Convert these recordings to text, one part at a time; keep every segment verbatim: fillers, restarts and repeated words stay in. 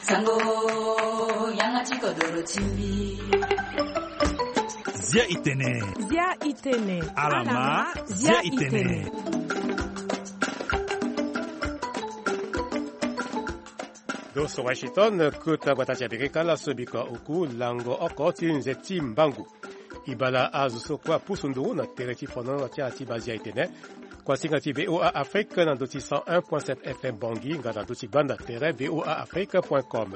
Sango, yanga ti kodoro ti mbi. Zia itene. Zia itene. Alama, zia itene. Doso Washington, kota gbata ti Amerika, laso bika oku lango oko ti nze ti mbangu. Ibala azo so kue apusu nduru na tere ti fono ti ala ti bazia itene. Kuasinga ti V O A Afrique na ndo ti cent un point sept F M Bangui, nga na ndo ti gbanda tere V O A Afrique point com.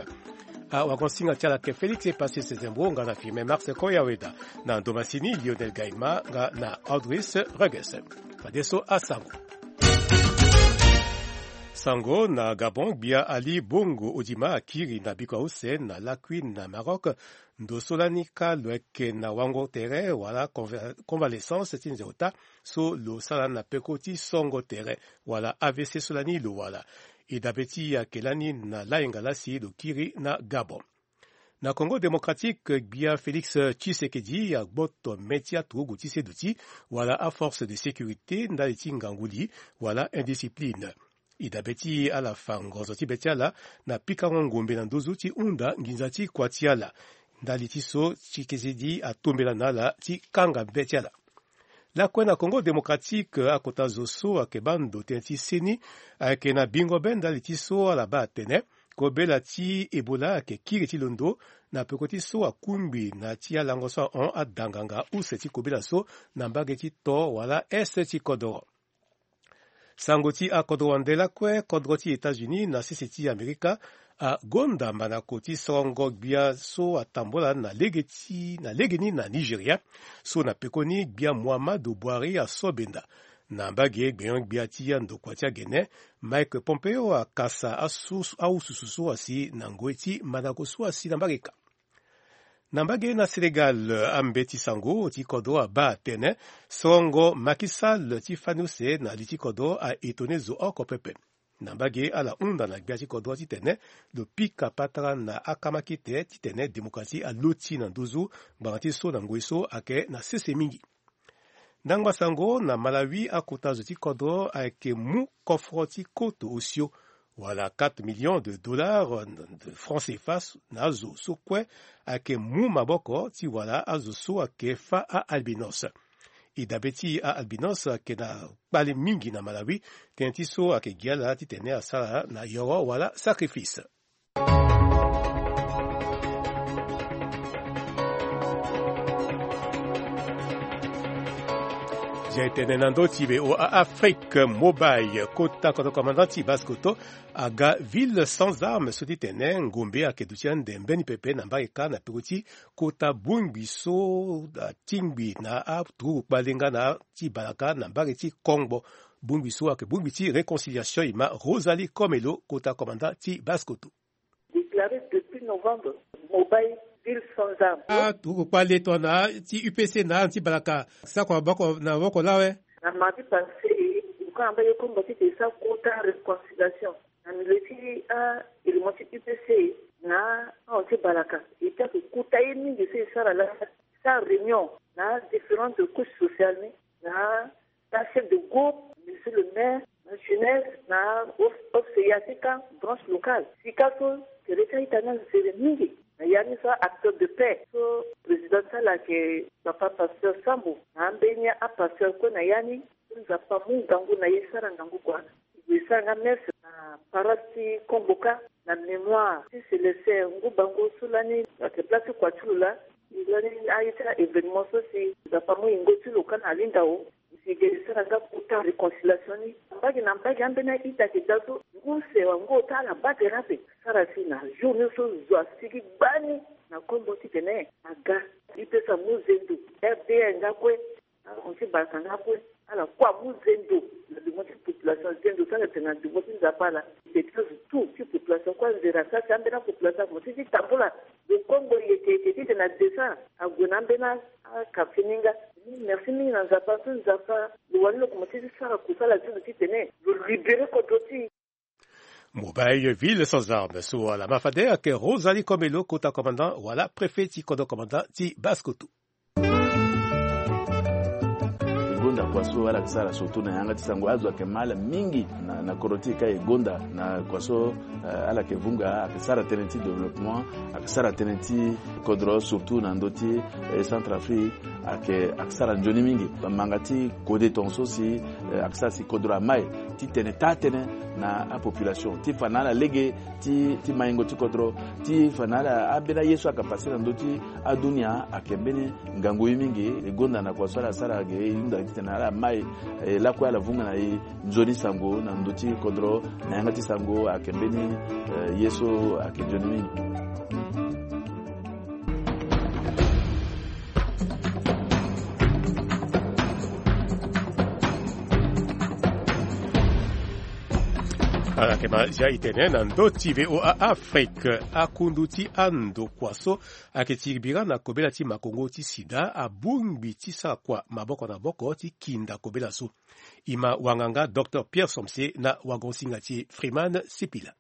Awagonsinga ti ala ke Félix Epassi Sezembo, nga na Firmin Marc Koyaweda, na ndo masini Lionel Gaima, nga na Audris Reges. Fadeso asango. Sango na Gabon, gbia Ali Bongo Odima akiri na biko use na lakui na Maroc. Ndo so lani kâ lo yeke na wango tere wala conva-, convalescence ti nze ota so lo sara na peko ti songo tere wala A V C so lani lo wara. E dabe ti e ayeke lani na layenga laa si lo kiri na Gabon. Na Congo Démocratique, gbia Félix Tshisekedi agboto mê ti aturugu ti seduti wala aforce de sécurité ndali ti ngangu li wala indiscipline. E dabe ti ala fa ngonzo ti be ti ala na pikango ngombe na nduzu ti hunda nginza ti kua ti ala. Ndali ti so Tshisekedi atombela na ala ti kanga be ti ala. Lakue na Congo Démocratique, akota zo so ayeke baa ndo tënë ti seni ayeke na bingo be ndali ti so ala baa atene kobela ti Ebola ayeke kiri ti londo na peko ti so akungbi na ti alango so ahon adanganga use ti kobela so na mbage ti to wala est ti kodoro. Sango ti akodro wande lakue, kodro ti États-Unis na sese ti Amerika agonda mandako ti sorongo gbia so atambola na lege ti, na legeni na Nigeria, so na pekoni gbia Muhammadu Buhari aso benda. Na mbage gbenyo-gbia ti andokua ti agene, Mike Pompeo akasa asu-, awususu so asi na ngoi ti mandako so asi na mbage ka. Na mbage na Sénégal, ambeti sango ti kodro abaa atene sorongo Macky Sall ti fani use na li ti kodro a-étonné zo oko pepe. Na mbage ala hunda na gbia ti kodro titene lo pika patara na akamakite titene démocratie aloti na nduzu ngbanga ti so na ngoi so ayeke na sese mingi. Ndangba sango na Malawi, akota zo ti kodro ayeke mu kofro ti koto osio wala quatre millions de dollars de francs C F A na azo so kue ayeke mu maboko ti wala azo so ayeke fâ a-albinos. E dabe ti a-albinos ayeke na kpale mingi na Malawi, tënë ti so ayeke gi ala titene asara na yoro wala sacrifice. Zia e tene na ndö ti V O A Afrique Mobile, kota kodro commandant ti Basse-Kotto aga ville sans armes so ti tene ngombe ayeke duti ande mbeni pepe na mbage kâ na peko ti kota bongbi so atingbi na aturugu kpale nga na ti balaka na mbage ti Kongbo. Bongbi so ayeke bongbi ti réconciliation. E ma Rosalie Komelo, kota commandant ti Basse-Kotto. Déclaré depuis novembre, mobile ville sans armes. Aturugu kpale tongana ti U P C na ala ti balaka sako maboko na maboko lawe. Na mardi passé, ngu anga mbage Kongbo ti ke sa kota réconciliation na milieu ti a élément ti U P C na ahon ti balaka. E ti ayeke kota ye mingi so e sara laa, e sara réunion na différentes couches sociales ni, na na chef de groupe, monsieur le maire, na jeunesse, na O F C A T K, branche locale. Sika so tere ti a-ita ni anzere mingi na ya ni so acteur de paix so président ti ala ayeke papa pasteur Sambo, na ambeni apasteur kue na ya ni. Nzapa amu ngangu na e, sara ngangu kua. E sara nga messe na paroisse ti Kongbo kâ na mémoire ti Célestin Ngu Bango so lani ayeke place ti kua ti lo laa. E lani aye ti a-événement so si Nzapa amu yingo ti lo kâ na alingao. Si e sara nga kota réconciliation ni mbage na mbage, ambeni a-ita ayeke daa so ngu use wala ngu ota ala baa tere ape. Sara si na jour ni so zo asigi gbani na Kongbo titene aga. E pesa mu zendo, R D L nga kue, ahon ti balaka nga kue, ala kue amu zendo na devant ti population. Zendo so ala tene na devant ti Nzapa ala, e ti azo tout ti population kue anzere asara si ambeni apopulation akomanse ti tambula. Lo Kongbo yeke yeke titene adescend ague na ambeni a-, aquartier ni nga. Merci mingi na Nzapa so Nzapa lo wani lo komanse ti sara kusala ti lo titene lo libéré kodro ti e. Mobile ville sans armes so ala ma fade ayeke Rosalie Komelo, kota commandant wala préfet ti kodro commandant ti Basse-Kotto. Kua so ala yeke sara surtout na yanga ti sango, azo ayeke ma ala mingi na, na kodro ti e ka e gonda na kua so, eh, ala yeke vunga, ayeke sara tënë ti développement, ayeke sara tënë ti kodro surtout na ndö ti, eh, Centrafrique, ayeke, ayeke sara nzoni mingi. Manga ti kode tongaso si, eh, ayeke sara si kodro amai ti tene taa tënë na apopulation ti fa na ala lege ti, ti maingo ti kodro, ti fa na ala ambeni aye so ayeke pase na ndö ti adunia ayeke mbeni ngangu ye mingi. E gonda na kua so ala sara ge, e hunda titene ala mai, eh, lakue ala vunga na e nzoni sango na ndö ti kodro na yanga ti sango ayeke mbeni, eh, ye so ayeke nzoni mingi. Ala yeke ma zia e tene na ndö ti V O A Afrique, akundu ti andokua so ayeke ti bira na kobela ti makongo ti sida abongbi ti sara kua maboko na maboko ti kinda kobela so. E ma wanganga docteur Pierre Somse na wagosinga ti e Freeman Sipila.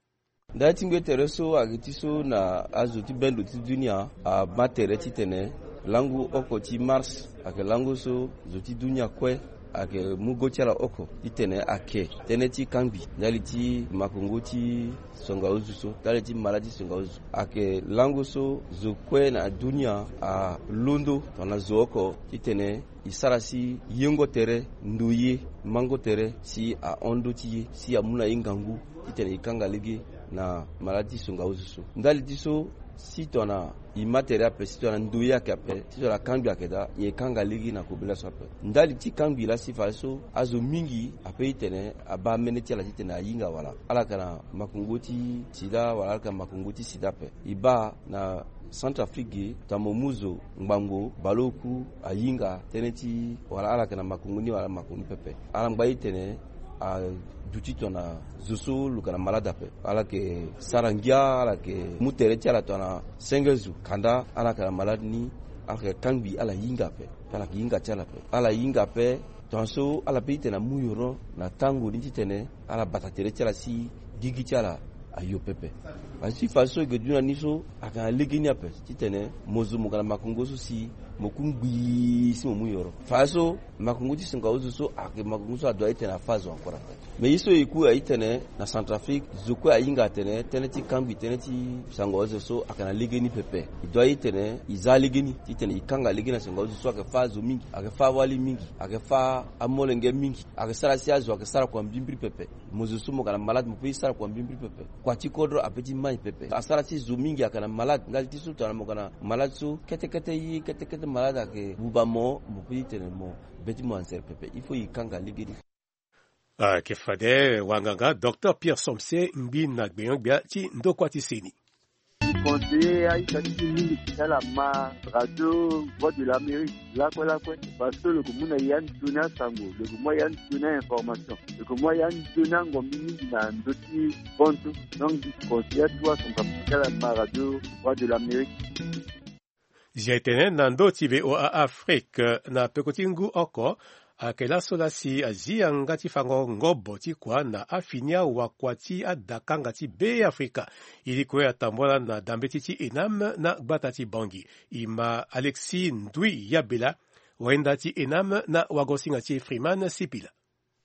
Ndali ti ngbene tere so ayeke ti so na azo ti bendo ti dunia ama tere titene langu oko ti mars ayeke langu so zo ti dunia kue ayeke mu go ti ala oko titene ake tënë ti kangbi ndali ti makongo ti songa ozu so, ndali ti mala ti songa ozu. Ayeke langu so zo kue na dunia alondo tongana zo oko titene e sara si yengo tere, ndo ye, mango tere si ahon ndö ti ye si amu na ye ngangu titene e kanga lege na mala ti songa ozu so. Ndali ti so si tongana e ma tere ape, si tongana ndo ye ayeke ape, si tongana kangbi ayeke daa, e kanga lege na kobela so ape. Ndali ti kangbi laa si fadeso azo mingi ape titene abaa mene ti ala titene ahinga wala ala yeke na makongo ti sida wala ala yeke na makongo ti sida ape. E baa na Centrafrique ge, tongana mo mu zo ngbangbo baleoku ahinga tënë ti wala ala yeke na makongo ni wala ala makongo ni pepe. Ala ngba e titene aduti tongana zo so lo yeke na malade ape. Ala yeke sara ngia, ala yeke mu tere ti ala tongana senge zo, kanda ala yeke na malade ni, ala yeke kangbi, ala hinga ape. Ala yeke hinga ti ala ape. Ala hinga ape, tongaso ala pe titene amu yoro na tango ni titene ala bata tere ti ala si gigi ti ala ayo pepe. Parce que fadeso e yeke dunia ni so ayeke na legeni ape titene mo zo mo yeke na makongo so si mo ku ngbii si mo mu yoro. Fadeso makongo ti songa ozo so ayeke makongo so adoit titene afa zo encore ape. Mais ye so e ku aye titene na Centrafrique zo kue ahinga atene tënë ti kangbi tënë ti sango ozo so ayeke na legeni pepe. E doit titene e za legeni titene e kanga legeni na songa ozo so ayeke fa azo mingi, ayeke fa awali mingi, ayeke fa amolenge mingi, ayeke sara si azo ayeke sara kua mbrimbri pepe. Mo zo so mo yeke na malade mo pe e sara kua mbrimbri pepe. Kua ti kodro ape ti mai pepe. Asara si zo mingi ayeke na malade ndali ti so tongana mo yeke na malade so kete kete ye, kete kete malade ayeke buba mo, mo pe e tene mo be ti mo anzere pepe. Il faut e kanga legeni. Ayeke fade wanganga docteur Pierre Somse ngbi na gbenyo-gbia ti ndokua ti seni. Conseiller aita ti e mingi ti ala ma radio Voix de l'Amérique lakue lakue, parce que lo yeke mu na e anzoni asango, lo yeke mu a e anzoni a-information, lo yeke mu a e anzoni angombi mingi na ndö ti bontu. Donc conseiller atuwa son kapu ti ala ma radio Voix de l'Amérique. Zia e tene na ndö ti V O A Afrique na peko ti ngu oko, ayeke laso laa si azi yanga ti fango ngobo ti kua na afini awakua ti adakanga ti Beafrika. E li kue atambula na dambeti ti ENAM na gbata ti Bangui. E ma Alexis Ndui Yabela, wayenda ti ENAM na wagosinga ti Freeman Sipila.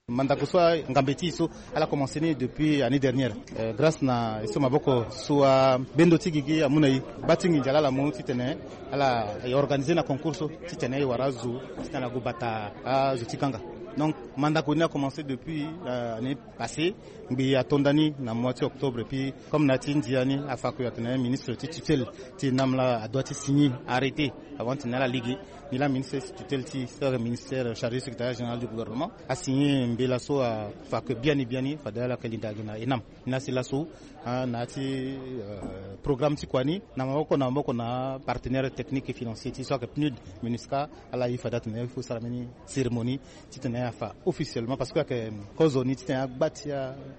Mandako so angambe ti e so ala commencé ni depuis année dernière. Euh, grâce na e so maboko so abendo ti gigi amu na e, gba ti nginza laa ala mu titene ala e organisé na concours so titene e wara azo titene ala gue bata azo ti kanga. Donc mandako ni acommence depuis, euh, année passée. Ngbii ato nda ni na mois ti octobre, et puis comme na ya ti ndia ni afa kue atene ministre ti tutelle ti ENAM laa adoit ti signé arrêté avant titene ala lege. Ni laa ministre ti tutelle ti, ministère chargé secrétariat général du gouvernement asigné mbela so afa kue biani biani fade ala yeke linda gi na ENAM. Ni laa si laso, ah, na ya ti, euh, programme ti kua ni na maboko na maboko na partenaire technique et financier ti e so ayeke PNUD, MINUSCA, ala ye fade atene il faut sara mbeni cérémonie titene afa officiellement, parce que ayeke kozo ni titene agba ti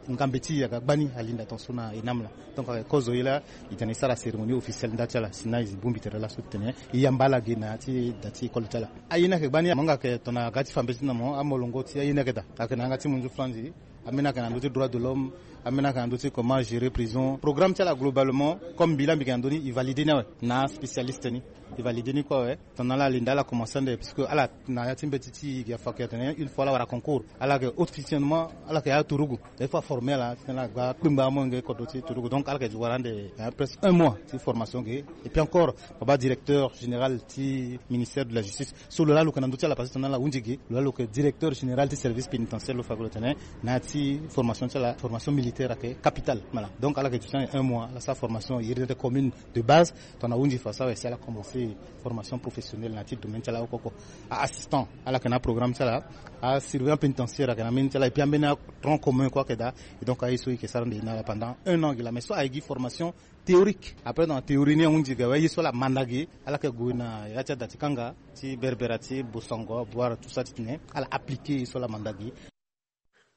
angambe ti e ayeke agba ni alinda tongaso na ENAM laa. Donc ayeke kozo ye laa e tene e sara cérémonie officielle nda ti ala si na e bongbi tere laso titene e yamba ala gi na ya ti da ti école ti ala. Aye ni ayeke gba ni, amonga ayeke tongana aga ti fa mbeti ti na mo, amolongo ti aye ni ayeke daa. Ayeke na yanga ti monzu franzi, ambeni ayeke na ndö ti droit de l'homme, Ambeni ayeke na ndö ti comment gérer prison, programme ti ala globalement, comme mbi laa mbi yeke na ndö ni, e valide ni awe na aspécialiste ni. E valide ni kue awe. Tongana ala linda ala commencé ande, puisque ala na ya ti mbeti ti gi afa ake atene une fois ala wara concours, ala yeke officiellement ala yeke aturugu. Il faut aformer ala titene ala gba kpengba amolenge kodro ti turugu. Donc ala yeke wara ande, eh, presque un mois ti formation ge. Et puis encore, papa directeur général ti ministère de la justice, so lo laa lo yeke na ndö ti ala, parce que tongana ala hunzi ge, lo laa lo yeke directeur général ti service pénitentiaire, lo fa ge lo tene na ya ti formation ti ala, formation militaire ayeke capitale. Voilà. Donc ala yeke duti un mois ala sara formation iri tete commune de base. Tongana ahunzi fa so awe si ala commencé formation professionnelle na ya ti domaine ti ala oko oko. Aassistant, ala yeke na programme ti ala. Asurveillant pénitentiaire ayeke na mbeni ti ala, et puis ambeni atronc commun kue ayeke daa. Et donc aye so e yeke sara ande na ala pendant un an gi laa, mais so aye gi formation théorique. Après dans la théorie ni ahunzi ge awe, ye so ala manda ge ala yeke gue na ya ti ada ti kanga ti Berbera ti Bossangoa, Bouar, tout ça, titene ala appliqué ye so ala manda ge.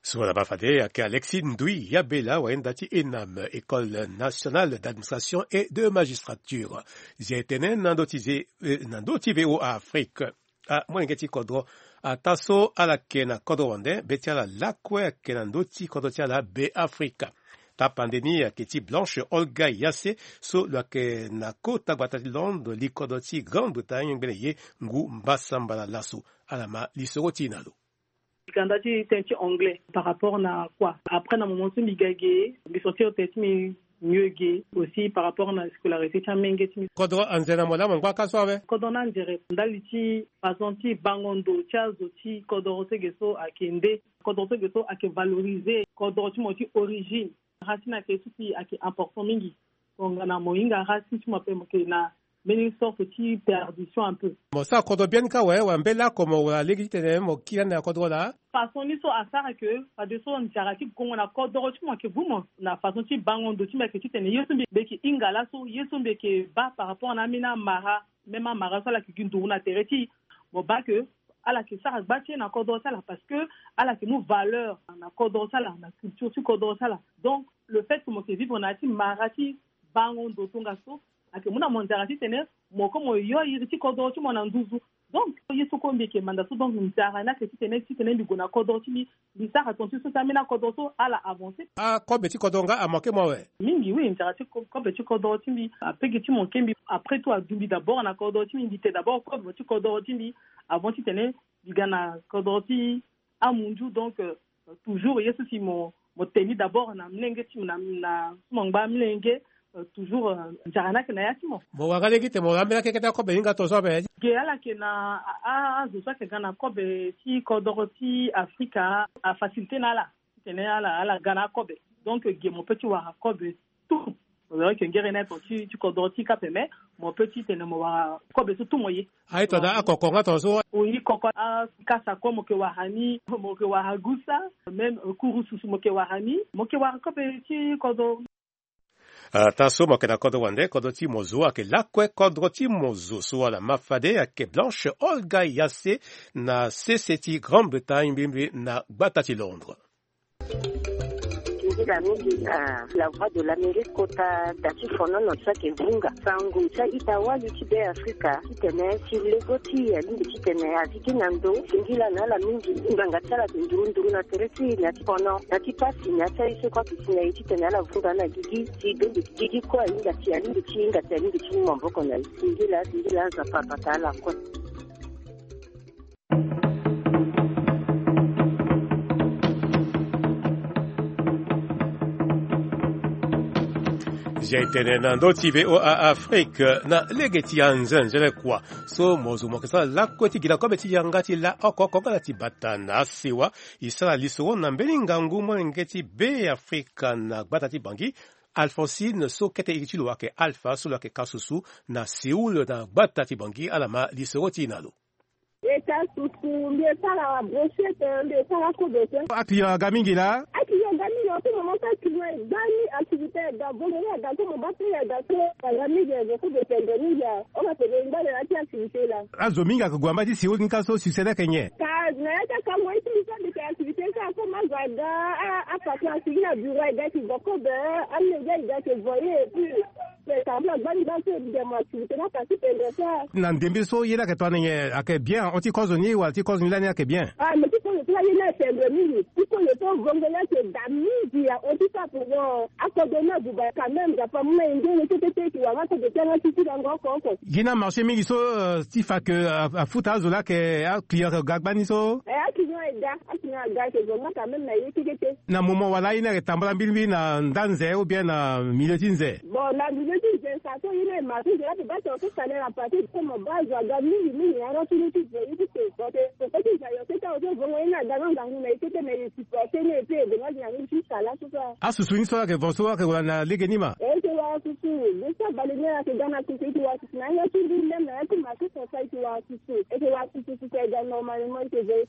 So ala baa fade ayeke Alexis Ndouy Yabela, wayenda ti ENAM, École nationale d'administration et de magistrature. Zia e tene na ndö ti ze, eh, na ndö ti V O A Afrique. Ah, molenge ti kodro, ataa so ala yeke na kodro wande, be ti ala lakue ayeke na ndö ti kodro ti ala Beafrika. Tapande ni ayeke ti Blanche Olga Yasse, so lo yeke na kota gbata ti Londres, li kodro ti Grande-Bretagne, ngbene ye ngu mbasambala laso. Ala ma lisoro ti e na lo. Ganda ti tënë ti anglais par rapport na quoi? Après na moment so mbi ga ge, mbi sentir tënë ti mbi mieux ge aussi par rapport na scolarité ti amenge ti mbi. Kodro anze na mo laa mo ngba ka so awe? Kodro ni anzere ndali ti façon ti bango ndo ti azo ti kodro so ge so ayeke nde, kodro so ge so ayeke valoriser kodro ti mo ti origine. Racine ayeke so si ayeke important mingi. Tongana mo hinga racine ti mo ape mo yeke na mbeni sorte ti perdition un peu. Mo sara kodro biani kâ awe, wala mbela oko mo wara lege titene mo kiri ande na kodro laa? Façon ni so asara ke fadeso nzara ti gongo na kodro ti mo ayeke vu mo na façon ti bango ndo ti mbi ayeke titene ye so mbi yeke hinga laso, ye so mbi yeke baa par rapport na ambeni amara, même amara so ala yeke gi nduru na tere ti e. Mo baa ke ala yeke sara gba ti e na kodro ti ala parce que ala yeke mu valeur na kodro ti ala, na culture ti kodro ti ala. Donc le fait que mo yeke vivre na ya ti mara ti bango ndo tongaso ayeke mu na mo nzara titene mo kue mo yo iri ti kodro ti mo na nduzu. Donc ye so kue mbi yeke manda so, donc nzara ni ayeke titene, titene mbi gue na kodro ti mbi, mbi sara tongaso ti so ti ambeni akodro so ala avancer. Akobe ti kodro nga amanke mo awe? Mingi oui, nzara ti ko-, kobe ti kodro ti mbi, apege ti manke mbi. Après tout adu mbi d'abord na kodro ti mbi, mbi te d'abord kobe ti kodro ti mbi avant titene mbi ga na kodro ti amunzu. Donc euh, toujours ye so si mo, mo te ni d'abord na mlenge ti mo, na, na so mo ngba mlenge, euh, toujours euh, nzara ni ayeke na ya ti mo. Mo wara lege titene mo wara ambeni akeke ti akobe hinga tongaso ape? Ge ala yeke na a, a, azo so ayeke ga na kobe ti kodro ti Afrika, afacilité na ala titene ala, ala ga na akobe. Donc ge mo peut ti wara kobe tout. Mo yeke ngere na aye tonga ti, ti kodro ti e kâ ape, mais mo peut titene mo wara kobe so tout mo ye. Aye tonga daa akoko nga tongaso? Oui, koko, akasa kue mo yeke wara ni, mo yeke wara gusa, même euh, kurususu mo yeke wara ni, mo yeke wara kobe ti kodro. Ataa so mo yeke na kodro wande, kodro ti mo zo ayeke lakue kodro ti mo zo so ala ma fade ayeke Blanche Olga Yasse na sese ti Grande-Bretagne, mbi mbi na gbata ti Londres. Singila mingi na La Voix de l'Amérique kota da ti fonono so ayeke vunga sango ti a-ita wali ti Beafrika titene si lego ti e alingbi titene a zi gi na ndo. Singila na ala mingi. Ngbanga ti ala ayeke nduru nduru na tere ti e na ya ti fono, na ya ti pasi, na ya ti aye so kue ayeke si na e titene ala vunga na gigi. Si bembe ti gigi kue ahinga si alingbi ti hinga si alingbi ti mu maboko na e. Singila, singila, Nzapa abata ala kue. Zia e tene na ndö ti V O A Afrique na lege ti anzenze le kua. So mo zo mo yeke sara lakue ti gi na kobe ti yanga ti la oko oko nga na ti bata na asewa. E sara lisoro na mbeni ngangu molenge ti Beafrika na gbata ti Bangui, Alphonsine so kete iri ti lo ayeke Alpha so lo yeke kasusu na Séoul na gbata ti Bangui, ala ma lisoro ti e na lo. E ka susu, mbi e sara brochette, mbi e sara kobe te. Aclient aga mingi laa? Aclient aga mingi, en ce moment so aclient e ga ni, activité e ga, volume e ga so, mo baa prix e ga so, aga mingi, e ga kobe pendre mingi. Hon, apede ngba na ya ti activité laa. Azo mingi ayeke gue na mbage ti Séoul ni ka so succès ni ayeke nyen? Ka na ya ti akango ye ti mbi so, mbi yeke activité so, comme azo aga, a, apatron asigi na bureau, e ga yeke gue kobe, amolenge e ga yeke voye, et puis, mais ka mbi agba ni baa so, e dema activité ni, apasi pendre so. Na ndembe so ye ni ayeke tongana nyen, ayeke bien, hon, ti kozo ni wala ti kozo ni lani ayeke bien? Ah, mais ti Kota ye ni asembe mingi ti kue ye so vongo laa ayeke daa mingi ya oti sapo wo. Akodro ni abuba quand même, nzapa amu na e nzoni kete ti e yeke wara akodro ti yanga ti ti lango oko oko. Gi na marché mingi so ti fa ke afuta azo laa ayeke aclient ayeke ga gbani so. E aclient ayeke ga, aclient ayeke ga ayeke zo nga quand même na ye kekete. Na moment wala aye ni ayeke tambala mbirimbiri na nda nze ou bien na milieu ti nze? Bon, na milieu ti nze sa so ye ni aye marché nze laa pe baa tongana so salaire apase ti komo baa azo aga mingi mingi na yanga ti ni ti zo ye ti pe. Bon, te koko ti nze ayo so ti awe so vongo ye ni aga nga ngangu na ye kete mais ye supporter ni e pe e gue nga gi na ni ti sala so so. Asusu ni so ayeke vo so ayeke wara na lege ni ma? E yeke wara susu. Be so abale ni ayeke ga na susu e yeke wara susu na yanga ti mbi même na yanga ti marché so sa e yeke wara susu. E yeke wara susu susu e ga normalement e yeke veillé.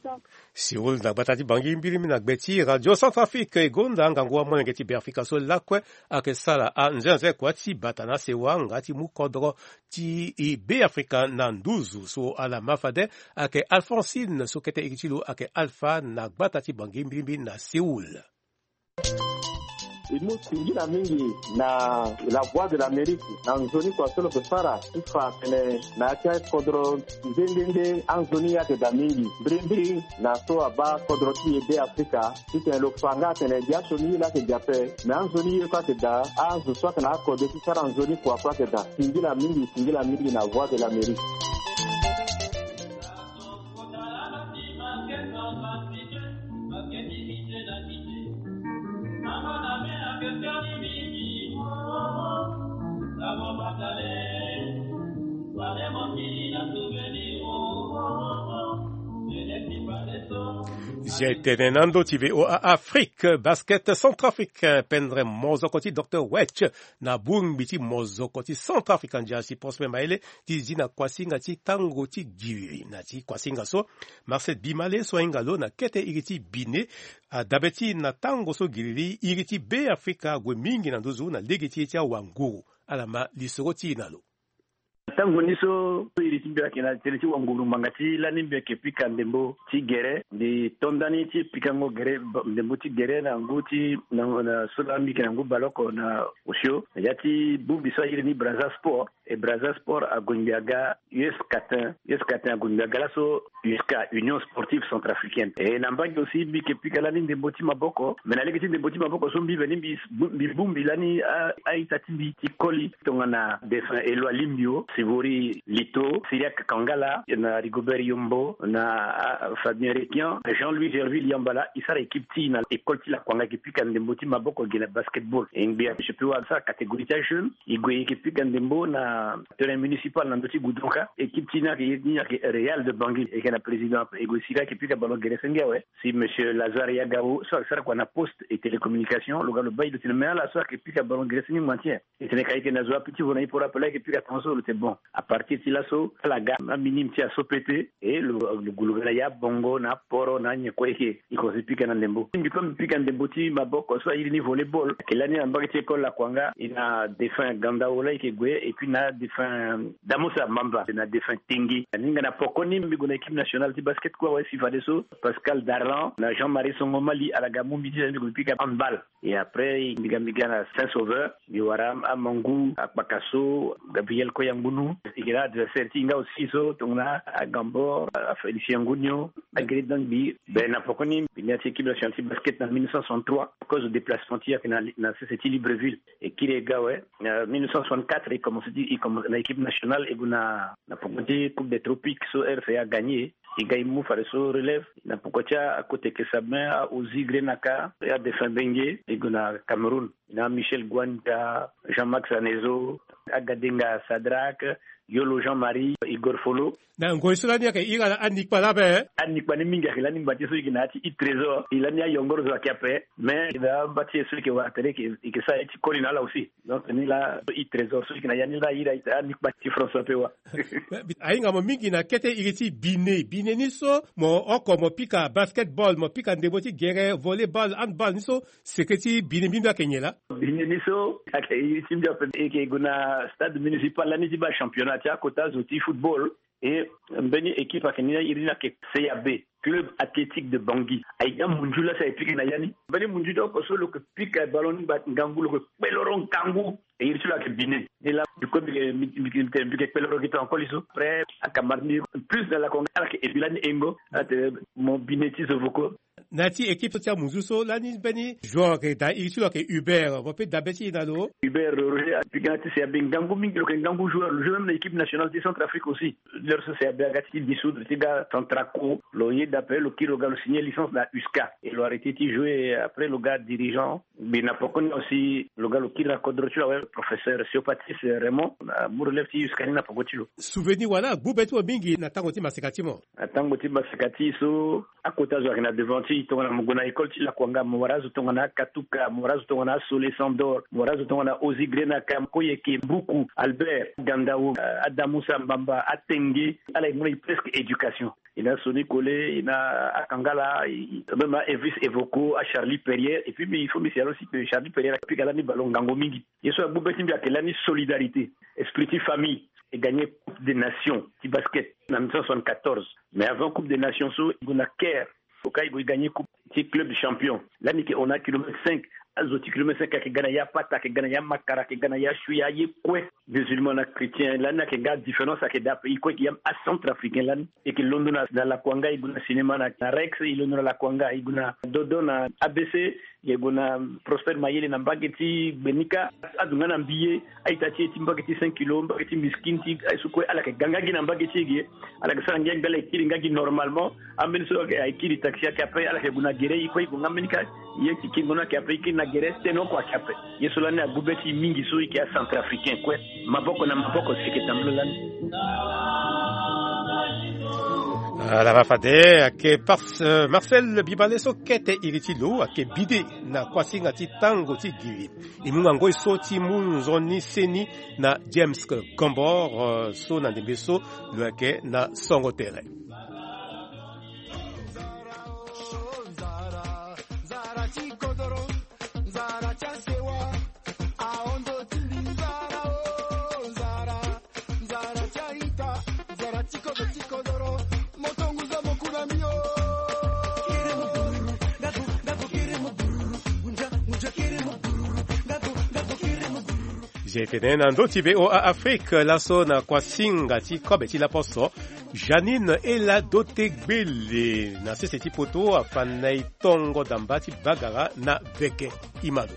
Séoul na gbata ti Bangui mbirimbiri na gbe ti Radio Centrafrique e gonda ngangu amolenge ti Beafrika so lakue ayeke sara anzenze kua ti bata na sewa nga ti mu kodro ti Beafrika na nduzu so ala ma fade ayeke Alphonsine so kete iri ti lo ayeke Alpha na gbata ti Bangui mbirimbiri na Séoul. E mu singila mingi na La Voix de l'Amérique na nzoni kua so lo yeke sara ti fa atene na ya ti akodro nde nde nde anzoni ye ayeke daa mingi mbirimbiri na so abaa kodro ti e Beafrika titene lo fa nga atene gi asioni ye laa ayeke gi ape. Me anzoni ye kue ayeke daa, azo so ayeke na akode ti sara nzoni kua kue ayeke daa. Singila mingi, singila mingi na Voix de l'Amérique. Zia e tene na ndo ti V O A Afrique, basket centrafricain pendre mozoko ti Docteur Wetch na bongbi ti mozoko ti Centrafrique, ndia si Prosper Mayele ti zi na kuasinga ti tango ti giri. Na ti kuasinga so, Marcel Bimale so ahinga lo na kete iri ti Bine, adabe ti na tango so giriri iri ti Beafrika ague mingi na nduzu na lege ti ye ti awanguru. Ala ma lisoro ti e na lo. Tango ni so iri ti mbi ayeke na tënë ti wanguru ngbanga ti lani mbi yeke pika ndembo ti gere. Mbi to ndani ti pikango gere, ndembo ti gere na ngu ti na, na so laa mbi yeke na ngu baleoko na osio na ya ti bongbi so airi ni Brazza Sport. E Brazza Sport ague ngbi aga U S Catin. U S Catin ague ngbi aga laso U S C A, Union Sportive Centrafricaine. E na mbage aussi mbi yeke pika lani ndembo ti maboko. Me na lege ti ndembo ti maboko so mbi veni mbi, mbi bongbi lani a, a-ita ti mbi ti koli tongana défunt Eloi Limbio, Sivori Lito, Cyriaque Kangala, na Rigobert Yombo, na, ah, Fabien Requian, Jean-Louis Gerville Yambala, e sara équipe ti e na école ti Lakuanga, e yeke pika ndembo ti maboko ge na basketball. E ngbi ape so e pe wara sara catégorie ti ajeune, e gue e yeke pika ndembo na terrain municipal na ndö ti Goudron ka. Équipe ti e ni ayeke, ni ayeke Real de Bangui, e yeke na président ape. E gue sira e yeke pika ballon gere senge awe. Si monsieur Lazare Yagao so ayeke sara kua na poste et télécommunication, lo ga lo baa e, lo tene me ala so ayeke pika ballon gere senge ngba ti nyen? E tene ka e yeke na zo ape ti vo na e poro ape laa e yeke pika tongaso. Lo tene bon. À partir ti laso ala ga aminime ti e aso pete, e lo, lo gue lo ga na ya bongo na aporo na anyen kue e yeke, e komanse pika na ndembo. Mbi kue mbi pika ndembo ti maboko so airi ni volleyball. Ayeke lani na mbage ti école Lakuanga, e na défunt Gandao laa e yeke gue, et puis na défunt Damosa Mamba, na défunt Tengue. Aninga na pokoni mbi gue na équipe nationale ti basket kue awe si fadeso Pascal Darlan na Jean-Marie Songo Mali ala ga mu mbi ti, mbi gue mbi pika handball. Et après mbi ga, mbi ga na Saint Sauveur, mbi wara Amangu, Akpakaso, Gabriel Koyangunu. E yeke na adversaire ti e nga aussi so tongana Agambor, Félicien Ngunio, Agri Dangbi. Ben na pokoni mbi ni ya ti équipe nationale ti basket na mille neuf cent soixante-trois, à cause de déplacement ti e ayeke na, na sese ti Libreville. E kiri e ga awe. Na mille neuf cent soixante-quatre e commence ti, e commence na équipe nationale, e gue na, na poko ti Coupe des Tropiques so R C A gagné. E ga e mu fadeso relève na poko ti akoteke Sabin, a Ozi Grenaka, a défunt Benge, e gue na Cameroun. Na Michel Gwanja, Jean-Max Anezo, Agadenga Sadrac, Yolo Jean-Marie, Igor Folo. Na ngoi so lani ayeke iri ala anikpa laa ape. Anikpa ni mingi ayeke lani ngba ti e so e yeke na ya ti Trésor. E lani ayongoro zo ayeke ape. Mais e na amba ti e so e yeke wara tere e yeke, e yeke sara ye ti koli na ala aussi. Donc ni laa Trésor so e yeke na ya ni laa airi anikpa ti François Pewa. Ahinga mo mingi na kete iri ti Bine. Bine ni so mo oko mo pika basketball, mo pika ndembo ti gere, volleyball, handball ni so, seke ti Bine mbi mbi ayeke nyen laa? Bine ni so ayeke iri ti mbi ape. E yeke gue na stade municipal lani ti baa championnat ti akota zo ti football. E mbeni équipe ayeke ni, iri ni ayeke C A B. Club Athlétique de Bangui. Aye nga munzu la si aye pika na ya ni. Mbeni munzu ti oko so lo yeke pika ballon ni ngba ngangu, lo yeke kpeloro ngangu. E iri ti lo ayeke bine. Ni la, du coup, mbi yeke, mbi, mbi, mbi, mbi yeke kpeloro gi tonga koli so. Après, akamara ni plus na lakonga, ala yeke ebi lani engo. Ala tene mo bine ti zo voko. Na ya ti équipe so ti amunzu so, lani mbeni joueur ayeke daa iri ti lo ayeke Hubert. Mo peut dabe ti e na lo. Hubert Roger, apika na ti C A B ngangu mingi, lo yeke ngangu joueur. Lo joue même na équipe nationale ti Centrafrique aussi. L'heure so C A B aga ti dissoudre ti ga Centraco, lo yeda ape, lo kiri lo ga lo signer licence na USCA. Et lo arrêté ti jouer, après lo ga dirigeant. Mbi na poko ni aussi, lo ga lo kiri na kodro ti lo awe, professeur Siopatis Raymond, na mu relève ti USCA ni na poko ti lo. Souvenir wala agbu be ti mo mingi na tango ti maseka ti mo? Na tango ti maseka ti e so, akota zo ayeke na devant ti e, tongana mo gue na école ti Lakuanga, mo wara azo tongana Akatuka, mo wara azo tongana Asole Sandor, mo wara azo tongana Ozi Grenaka, Koyeke, Mbuku, Albert, Gandao, eh, Adamusa Mbamba, Atenge, ala yeke mu na e presque éducation. E na Soni Kole, e na Akangala, e, même a Elvis Evoko, a Charlie Perrier, et puis, mais il faut mbi signale aussi que Charlie Perrier apika lani ballon ngangu mingi. Ye so agbu be ti mbi ayeke lani solidarité, esprit ti famille. E gagné Coupe des Nations ti basket na mille neuf cent soixante-quatorze. Mais avant Coupe des Nations so, e gue na Caire. Oka e gue e gagné coupe ti club champion. Lani e ke hon na kilomètre cinq. Azo ti kilomètre cinq ayeke ga na ya Pata, ayeke ga na ya Makara, ayeke ga na ya Shuya, aye kue. Musulman na chrétien, lani ayeke nga différence ayeke daa ape. E kue e yeke yam acentrafricain lani. E yeke londo na, na Lakuanga, e gue na cinéma na, na Rex, e londo na Lakuanga, e gue na Dodo na A B C, e gue na Prosper Mayele na mbage ti Gbenika. Azo nga na mbi ye, a-ita ti e ti mbage ti cinq kilo, mbage ti miskin ti aye so kue, ala yeke ga nga gi na mbage ti e ge. Ala yeke sara ngia gbe, ala yeke kiri nga gi normalement. Ambeni so ayeke, ayeke kiri taxi ayeke ape, ala yeke gue na gere, e kue e gue nga mbeni ka. Ye ti kengo ni ayeke ape, e kiri na gere, tene oko ayeke ape. Ye so lani agbu be ti e mingi so e yeke acentrafricain kue. Maboko na maboko si e yeke tambula lani. Ala ma fade ayeke Pars-, euh, Marcel Bibale so kete iri ti lo ayeke bide na kuasinga ti tango ti giri. E mu ngangoi so ti mu nzoni seni na James Gombor, euh, so na ndembe so lo yeke na songo tere. Zia e tene na ndö ti V O A Afrique laso na kuasinga ti kobe ti laposo. Janine Ela Dote Gbele na sese ti poto afa na e tongo damba ti bagara na veke. Imado.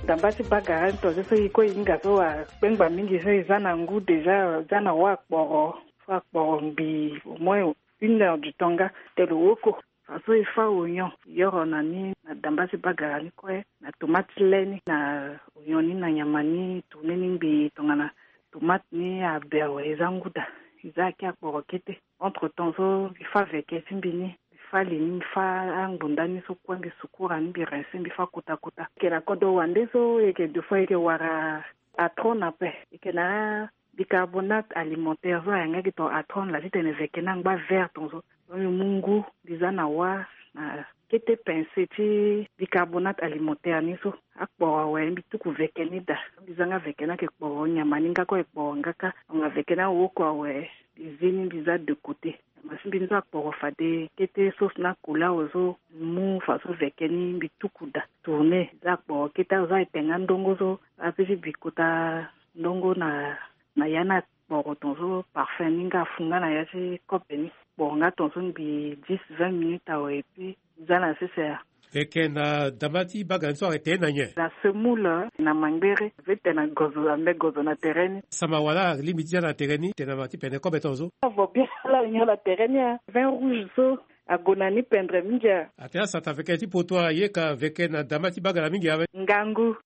Damba ti bagara ni tongaso e kue e hinga so akpengba mingi so e za na ngu déjà, za na wa akporo, so akporo ngbii au moins une heure du temps nga te lo woko. Fa so e fa oignon, e yoro na ni na damba ti bagara ni kue, na tomate ti le ni, na oignon ni, na nyama ni, tourne ni ngbii tongana tomate ni abe awe, e za ngu daa, e za aki akporo kete. Entre temps so mbi fa veke ti mbi ni, mbi fa li ni, mbi fa angbunda ni so kue, mbi sukura ni, mbi rince, mbi fa kota kota. E yeke na kodro wande so e yeke deux fois e yeke wara atron ape. E yeke na bicarbonate alimentaire so ayangaki tongana atron laa titene veke ni angba vert tongaso. So mbi mu ngu, mbi za na wa, na kete pincée ti bicarbonate alimentaire ni so. Akporo awe, mbi tuku veke ni daa. Mbi za nga veke ni ayeke kporo nyama ni nga kue, ayeke kporo nga kâ. Tongana veke ni awoko awe, mbi zi ni, mbi za de côté. Nyama ti mbi ni so akporo fade kete, sauce na couleur awe so, mbi mu faso veke ni, mbi tuku daa. Tourner, za akporo kete awe so, aye te nga ndongo so, ape ti bi kota ndongo na, na ya ni akporo tongaso, parfum ni nga afu nga na ya ti kobe ni. Kporo nga tongaso ngbii dix, vingt minutes awe, et puis za na sese ya. Veke na damba ti bagara ni so ayeke tene na nyen? Na semoule, na mangbere, ape tene na gozo, ambe gozo na tere ni. Sama wala alingbi ti za na tere ni, tene na ma ti pene kobe tongaso. Avo bien, ala nyon na tere ni a. Vin rouge so, ague na ni pendre mingi a. Atene asata veke ti poto aye ka veke na damba ti bagara mingi awe. Ngangu.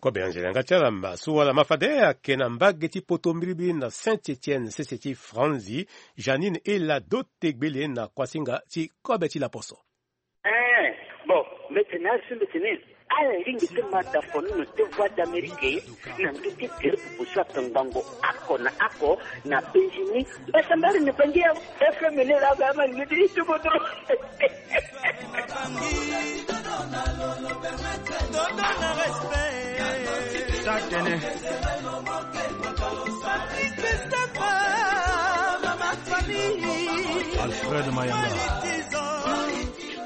Kobe Angela nga ti ala ma so wala ma fade ayeke na mbage ti poto mbirimbiri na Saint-Étienne, sese ti Franzi, Janine Ela Dote Gbele na kuasinga ti kobe ti laposo. Eh, bon, mbi tene asi mbi tene, ala lingbi ti ma da fono na te Voix d'Amérique, na ndö ti tere popo so atongbango oko na oko na Benjini. Basa mbari ni bangi ya F M ni la ga ma ni ti tuko tro. Alfred.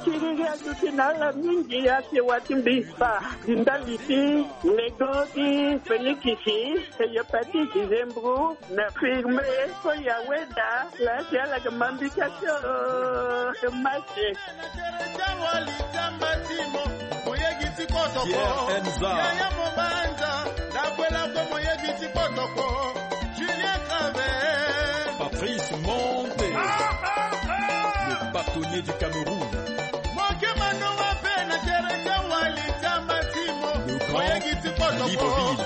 Tiriri aduti na ala mingi ake wati mbi fa. Ndali ti lego ti fenikisi, hepatite, zembro, na firme, ko ya weda la ti ala ke mambika tio. Mase. Pierre Enza. Julien Claver. Patrice Monte. Le bâtonnier du Cameroun. Le grand Libreville.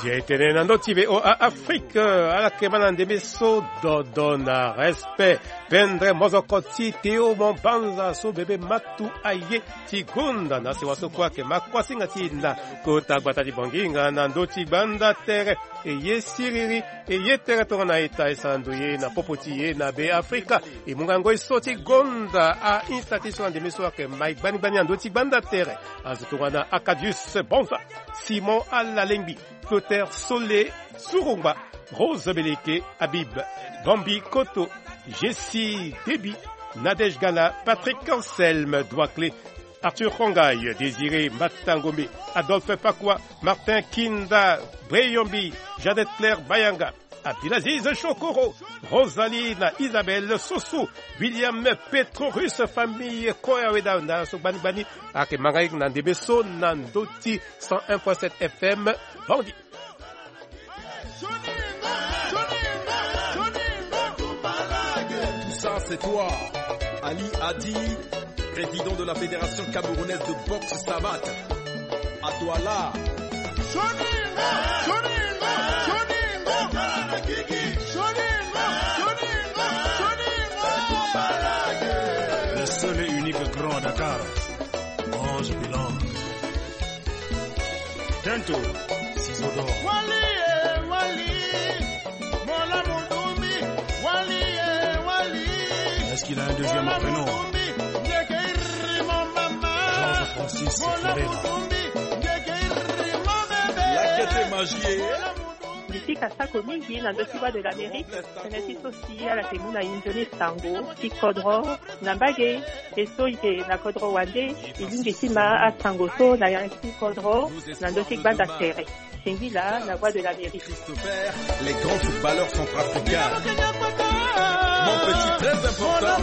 Ye tene na ndö ti V O A Afrique, ala ke ma na ndembe so dodo na respect. Pendre mozoko ti Théo Mombanza so bebe matu aye ti gonda na sewa so kue ake ma kuasinga ti e na kota gbata ti Bonginga na ndö ti gbanda tere. E ye siriri, e ye tere tongana eta e sara ndoye na popo ti e na Be Afrika. E mu ngango e so ti gonda a-insta ti so na ndembe so ake ma e gbani gbani na ndö ti gbanda tere. Azo tongana Acadius Bonza, Simon Alalengbi, Clotaire Sole Surungba, Rose Beleke, Habib Bambi Koto, Jessie Debi, Nadège Gala, Patrick Anselme Douaclé, Arthur Kongay, Désiré Matangombe, Adolphe Pakwa, Martin Kinda, Breyombi, Jeannette Claire Bayanga, Abdelaziz Chokoro, Rosalie na Isabelle Soso, William Petrorus, famille Koya Weda na so gbani gbani, ake ma nga na ndembe so na ndö ti cent un point sept F M, Bangui. Tout ça, c'est toi. Ali Adi, président de la Fédération camerounaise de boxe savate. À toi là. Le seul et unique grand à Dakar. Ange Bilan. Tento, Ciseaux d'or. Wali, eh, Wali. Mola Mudumbi. Wali, eh, Wali. Est-ce qu'il a un deuxième prénom ? Georges Francis Ferreira. Lakete magie. Mbi pika sako mingi na ndö ti Voix de l'Amérique, tënë ti so si ala ke mu na e nzoni sango ti kodro na mbage. E so e yeke na kodro wande, e lingbi ti ma asango so na ya ti kodro na ndö ti gbanda tere. Singila na Voix de l'Amérique. Christopher, les grands footballeurs centrafricains. Mon petit, très important.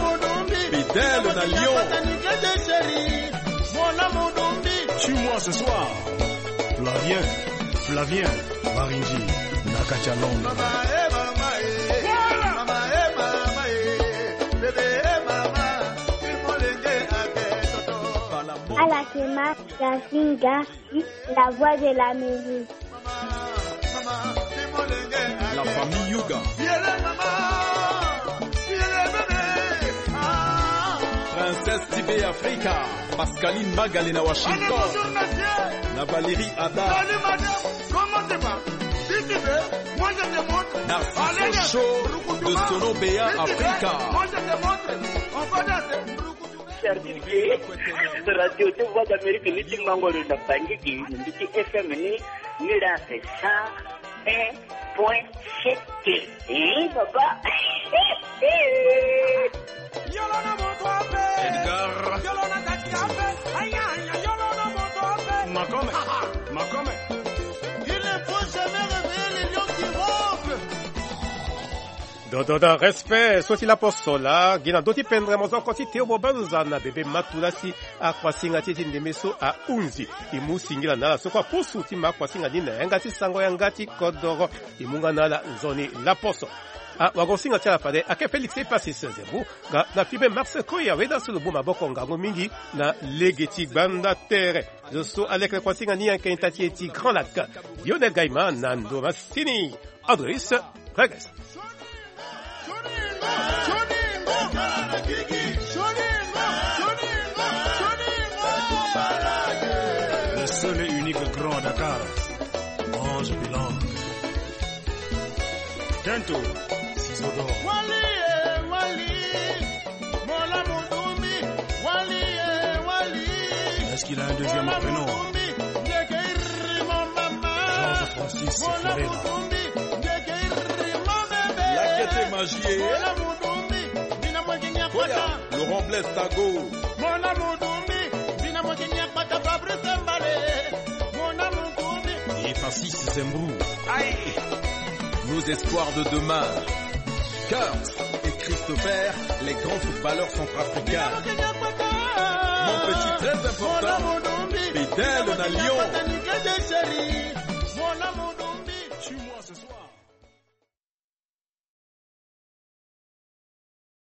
Fidèle na Lyon. Tue-moi ce soir. Flavien, Flavien Maringi, na kati ya Londres. Ala ke ma ya singa. La Voix de l'Amérique. La famille Yuga. Princesse ti Be Afrika, Pascaline Magale na Washington. Na Valérie Ada. Narciso Show de Sono Bea Afrika. Certifié. Radio ti Voix d'Amérique ni ti Mangoro na Bangui, ni ti F M ni, ni la c'est cent un point sept. Eh, papa. Edgar. Makome. Makome. Il ne faut jamais réveiller les lions qui ronflent. Dodo na respect so ti laposo laa, gi na ndö ti pendre mozoko ti Théo Mobanza na bebe matu laa si akuasinga ti e ti ndembe so ahunzi. E mu singila na ala so kue apusu ti ma akuasinga ni na yanga ti sango yanga ti kodoro. E mu nga na ala nzoni laposo. Awagosinga ti ala fade ayeke Félix Epasis Zembu, nga na Fibe Mars Koya Weda so lo mu maboko ngangu mingi na lege ti gbanda tere. Zo so aleke kuasinga ni ayeke ita ti e ti Grand Lac, Lionel Gaima na ndo masini. Andris Regis. Le seul et unique grand à Dakar, Ange Bilan. Tento, Ciseaux d'or. Wali, eh, Wali. Mola Mudumbi. Wali, eh, Wali. Est-ce qu'il a un deuxième prénom ? Mola Mudumbi. Ndeke Lakete Magie. Koya, Laurent Blaise Tago. Et Francis Zembrou. Aïe. Nos espoirs de demain. Kurt et Christopher, les grands footballeurs centrafricains. Mon petit, très important, Fidèle na Lyon.